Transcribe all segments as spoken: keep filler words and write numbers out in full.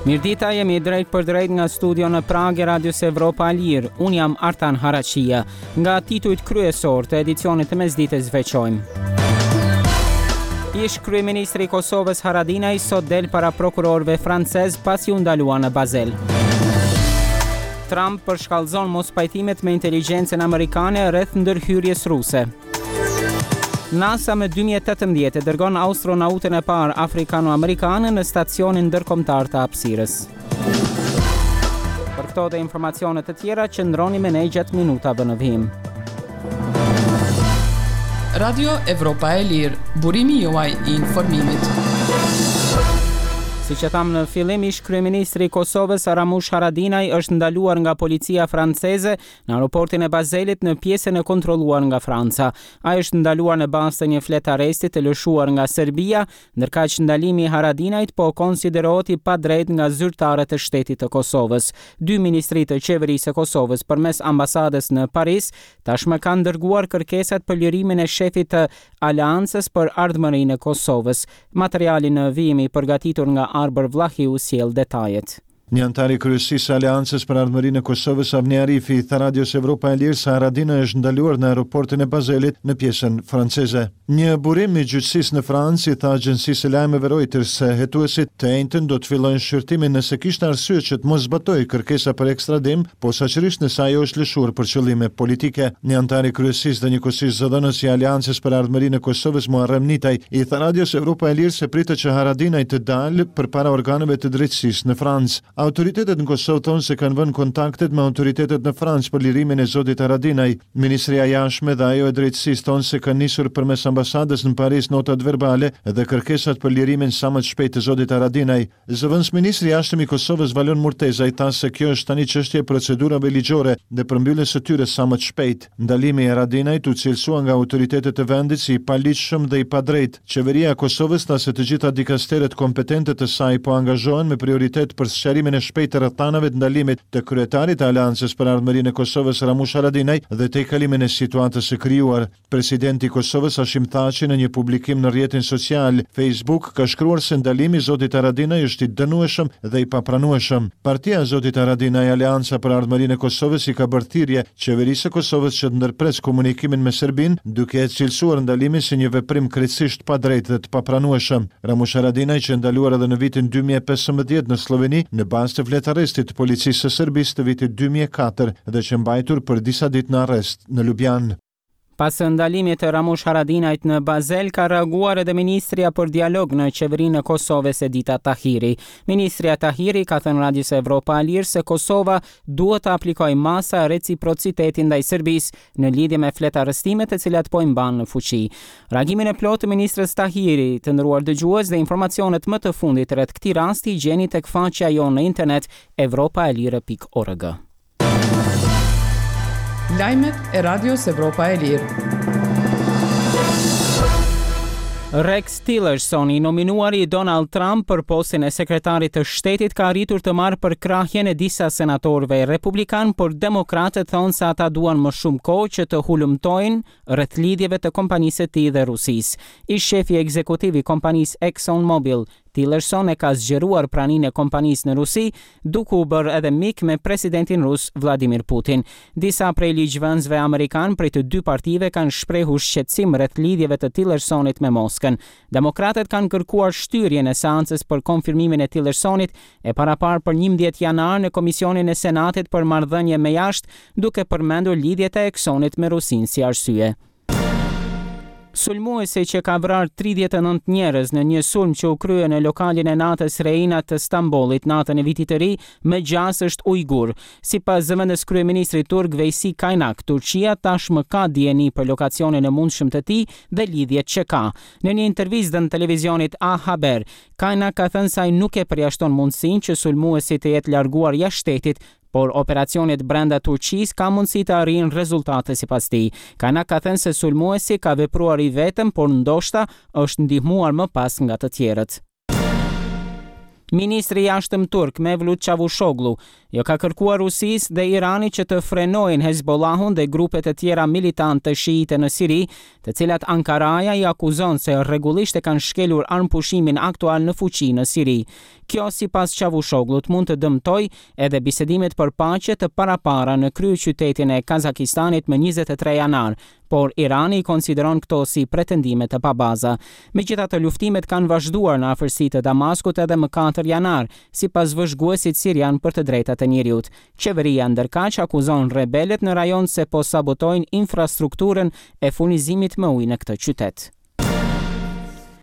Mirëdita, jemi drejt për drejt nga studio në Pragë e Radios Evropa e Lirë. Unë jam Artan Haraqia. Nga titujt kryesor të edicionit të mesditës veçojmë. Ish kryeministri i Kosovës Haradinaj sot del para prokurorëve francez pasi u ndalua në Basel. Trump përshkallëzon mospajtimet me inteligjencën amerikane rreth ndërhyrjes ruse. NASA më dy mijë e tetëmbëdhjetë e dërgon astronautën e parë afrikano-amerikane në stacionin ndërkombëtar të hapësirës. Për këto dhe informacione të tjera, qëndroni me ne gjatë minutave në vijim. Radio Evropa e Lirë, burimi juaj i informimit. Si që thamë në fillim, ish kryeministri i Kosovës Ramush Haradinaj është ndaluar nga policia franceze në aeroportin e Bazelit, në pjesën e kontrolluar nga Franca. Ai është ndaluar në bazë të një fletë arresti të lëshuar nga Serbia, ndërkaq ndalimi i Haradinajt po konsiderohet i padrejt nga zyrtarët e shtetit të Kosovës. Dy ministri të qeverisë së Kosovës përmes ambasadës në Paris tashmë kanë dërguar kërkesat për lirimin e shefit të Aleancës për Ardhmërinë e Kosovës. Materiali në vijim, i përgatitur nga Arbër Vllahiu, sjell detajet. Një antar i kryesisë së Aleancës për Ardhmërinë e Kosovës, Avni Arifi, i tha Radios Evropa e Lirë se Haradinaj është ndaluar në aeroportin e Bazelit, në pjesën franceze. Një burim i gjyqësisë në Francë i tha agjencisë së lajmeve Reuters se hetuesit të enjten do të fillojnë shqyrtimin nëse kishte arsye që të mos zbatohej kërkesa për ekstradim, posaçërisht nëse ajo është lëshuar për qëllime politike. Një antar i kryesisë dhe njëkohësisht zëdhënës i Aleancës për Ardhmërinë e Kosovës, Muharrem Nitaj, i tha Radios Evropa e Lirë se pritet që Haradinaj të dalë përpara organeve të drejtësisë në Francë. Autoritetet në Kosovë thonë se kanë vënë kontaktet me autoritetet në Francë për lirimin e zotit Haradinaj. Ministria e Jashtme dhe ajo e Drejtësisë thonë se kanë nisur përmes ambasadës në Paris notat verbale dhe kërkesat për lirimin sa më të shpejtë të zotit Haradinaj. Zëvendësministri i Jashtëm i Kosovës, Valon Murtezaj, tha se kjo është tani çështje e procedurave ligjore dhe përmbylljes së tyre sa më të shpejtë. Ndalimi i Haradinajt u cilësua nga autoritetet e vendit si i paligjshëm dhe i padrejtë. Qeveria e Kosovës tha se të gjitha dikasteret kompetente të saj po angazhohen me prioritet për sqarimin e shpejtë të rrethanave të ndalimit të kryetarit të Aleancës për Ardhmërinë e Kosovës, Ramush Haradinaj, dhe tejkalimin e situatës së krijuar. Presidenti i Kosovës, Hashim Thaçi, në një publikim në rrjetin social Facebook ka shkruar se ndalimi i zotit Haradinaj është i dënueshëm dhe i papranueshëm. Partia e zotit Haradinaj, Aleanca për Ardhmërinë e Kosovës, i ka bërë thirrje qeverisë së Kosovës që të ndërpres komunikimin me Serbinë, duke e cilësuar ndalimin si një veprim krejtësisht padrejt dhe të papranueshëm. Ramush Haradinaj qe ndaluar edhe në vitin dy mijë e pesëmbëdhjetë në Sloveni në bazë të fletarrestit të policisë së Serbisë të vitit dy mijë e katër dhe qe mbajtur për disa ditë në arrest në Lubjanë. Pas ndalimit të Ramush Haradinajt në Basel, ka reaguar edhe Ministrja për Dialog në qeverinë e Kosovës, Edita Tahiri. Ministrja Tahiri ka thënë Radios Evropa e Lirë se Kosova duhet të aplikojë masa reciprociteti ndaj Serbisë në lidhje me fletarrestimet të cilat po i mban në fuqi. Reagimin e plotë të ministrës Tahiri, të nderuar dëgjues, dhe informacionet më të fundit rreth këtij rasti i gjeni tek faqja jonë në internet evropaelire pikë org. Lajmet e Radios Evropa e Lirë. Rex Tillerson, i nominuari i Donald Trump për postin e sekretarit të shtetit, ka arritur të marrë përkrahjen e disa senatorëve republikan, por demokratët thonë se ata duan më shumë kohë që të hulumtojnë rreth lidhjeve të kompanisë së tij dhe Rusisë. Ish shefi ekzekutiv i kompanisë Exxon Mobil, Tillerson, e ka zgjeruar praninë e kompanisë në Rusi, duke u bërë edhe mik me presidentin rus Vladimir Putin. Disa prej ligjvënësve amerikan prej të dy partive kanë shprehur shqetësim rreth lidhjeve të Tillersonit me Moskën. Demokratët kanë kërkuar shtyrjen e seancës për konfirmimin e Tillersonit, e parapar për njëmbëdhjetë janar në Komisionin e Senatit për marrëdhënie me jashtë, duke përmendur lidhjet e Exxonit me Rusinë si arsye. Sulmuesi që ka vrarë tridhjetë e nëntë njerëz në një sulm që u krye në lokalin e natës Reina të Stambollit natën e vitit të ri, me gjasë është ujgur. Sipas zëvendës kryeministrit turk Veysi Kaynak, Turqia tashmë ka dijeni për lokacionin e mundshëm të tij dhe lidhjet që ka. Në një intervistë dhënë televizionit A Haber, Kaynak ka thënë se ai nuk e përjashton mundësinë që sulmuesi të jetë larguar jashtë shtetit, por operacionet brenda Turqisë ka mundësi të arrijnë rezultate, sipas tij. Kaynak ka thënë se sulmuesi ka vepruar i vetëm, por ndoshta është ndihmuar më pas nga të tjerët. Ministri i Jashtëm turk Mevlut Çavuşoglu Ju ka kërkuar Rusisë dhe Iranit që të frenojnë Hezbollahun dhe grupet e tjera militante shiite në Siri, të cilat Ankaraja i akuzon se rregullisht e kanë shkelur armëpushimin aktual në fuqi në Siri. Kjo, sipas Çavushoglut, mund të dëmtojë edhe bisedimet për paqe të parapara në kryeqytetin e Kazakistanit më njëzet e tre janar, por Irani i konsideron këto si pretendime të pabaza. Megjithatë, luftimet kanë vazhduar në afërsi të Damaskut edhe më katër janar, sipas vëzhguesit sirian për të drejtat e njeriut. Qeveria ndërkaq akuzon rebelët në rajon se po sabotojnë infrastrukturën e furnizimit me ujë në këtë qytet.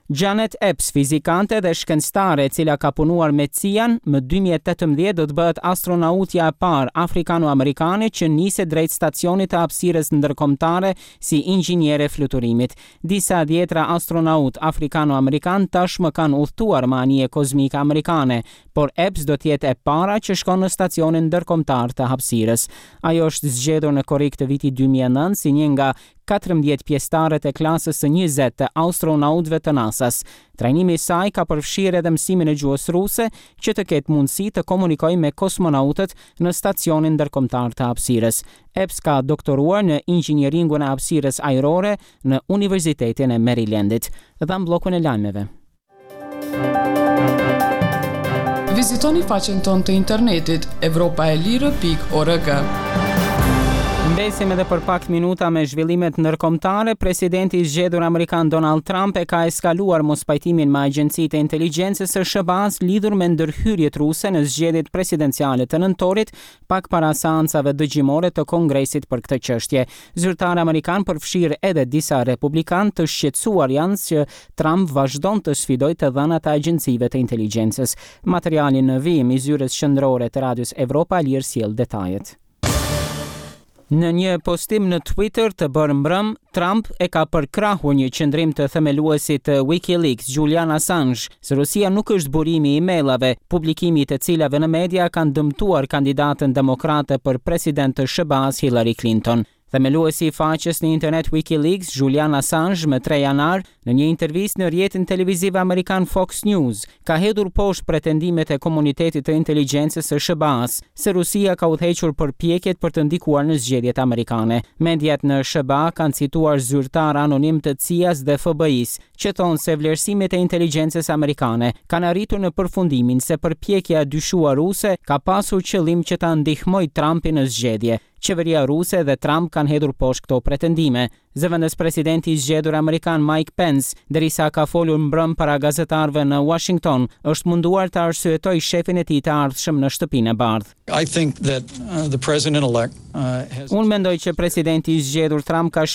Janet Epps, fizikante dhe shkencëtare e cila ka punuar me C I A-n, më dy mijë e tetëmbëdhjetë do të bëhet astronautja e parë afrikano-amerikane që niset drejt stacionit të hapësirës ndërkombëtare si inxhiniere fluturimit. Disa dhjetra astronaut afrikano-amerikan tashmë kanë udhëtuar me anije kozmike amerikane, por Epps do të jetë e para që shkon në stacionin ndërkombëtar të hapësirës. Ajo është zgjedhur në korrik të vitit dy mijë e nëntë si një nga katërmbëdhjetë pjesëtarët e klasës së njëzet të astronautëve të NASA-s. Trajnimi i saj ka përfshirë edhe mësimin e gjuhës ruse, që të ketë mundësi të komunikojë me kosmonautët në stacionin ndërkombëtar të hapësirës. Epps ka doktoruar në inxhinieringun e hapësirës ajrore në Universitetin e Marylandit. Dhe në bllokun e lajmeve. Vizitoni faqen tonë të internetit evropaelire pikë org. Mbesim edhe për pak minuta me zhvillimet ndërkombëtare. Presidenti i zgjedhur amerikan Donald Trump e ka eskaluar mospajtimin me agjencitë e inteligjencës së S H B A-s lidhur me ndërhyrjet ruse në zgjedhjet presidenciale të nëntorit, pak para seancave dëgjimore të Kongresit për këtë çështje. Zyrtarë amerikan, përfshirë edhe disa republikanë, të shqetësuar janë që Trump vazhdon të sfidojë të dhënat e agjencive të inteligjencës. Materiali në vijim i zyrës qendrore të Radios Evropa e Lirë sjell detajet. Në një postim në Twitter të bërë mbrëm, Trump e ka përkrahur një qëndrim të themeluesit të WikiLeaks, Julian Assange, se Rusia nuk është burimi i emailave, publikimi i të cilave në media kanë dëmtuar kandidatën demokrate për president të S H B A-s Hillary Clinton. Themeluesi i faqes në internet WikiLeaks, Julian Assange, më tre janar, në një intervistë në rrjetin televiziv amerikan Fox News, ka hedhur poshtë pretendimet e komunitetit të inteligjencës së S H B A-s se Rusia ka udhëhequr përpjekjet për të ndikuar në zgjedhjet amerikane. Mediat në S H B A kanë cituar zyrtar anonim të C I A-s dhe F B I-s, që thonë se vlerësimet e inteligjencës amerikane kanë arritur në përfundimin se përpjekja e dyshuar ruse ka pasur qëllim që ta ndihmojë Trumpin në zgjedhje. Qeveria ruse dhe Trump kanë hedhur poshtë këto pretendime. Zëvendës presidenti i zgjedhur amerikan Mike Pence, derisa ka folur mbrëm para gazetarëve në Washington, është munduar të arsyetojë shefin e tij të ardhshëm në Shtëpinë e Bardhë. I think that uh, the president-elect uh, has Unë mendoj që presidenti i zgjedhur Trump ka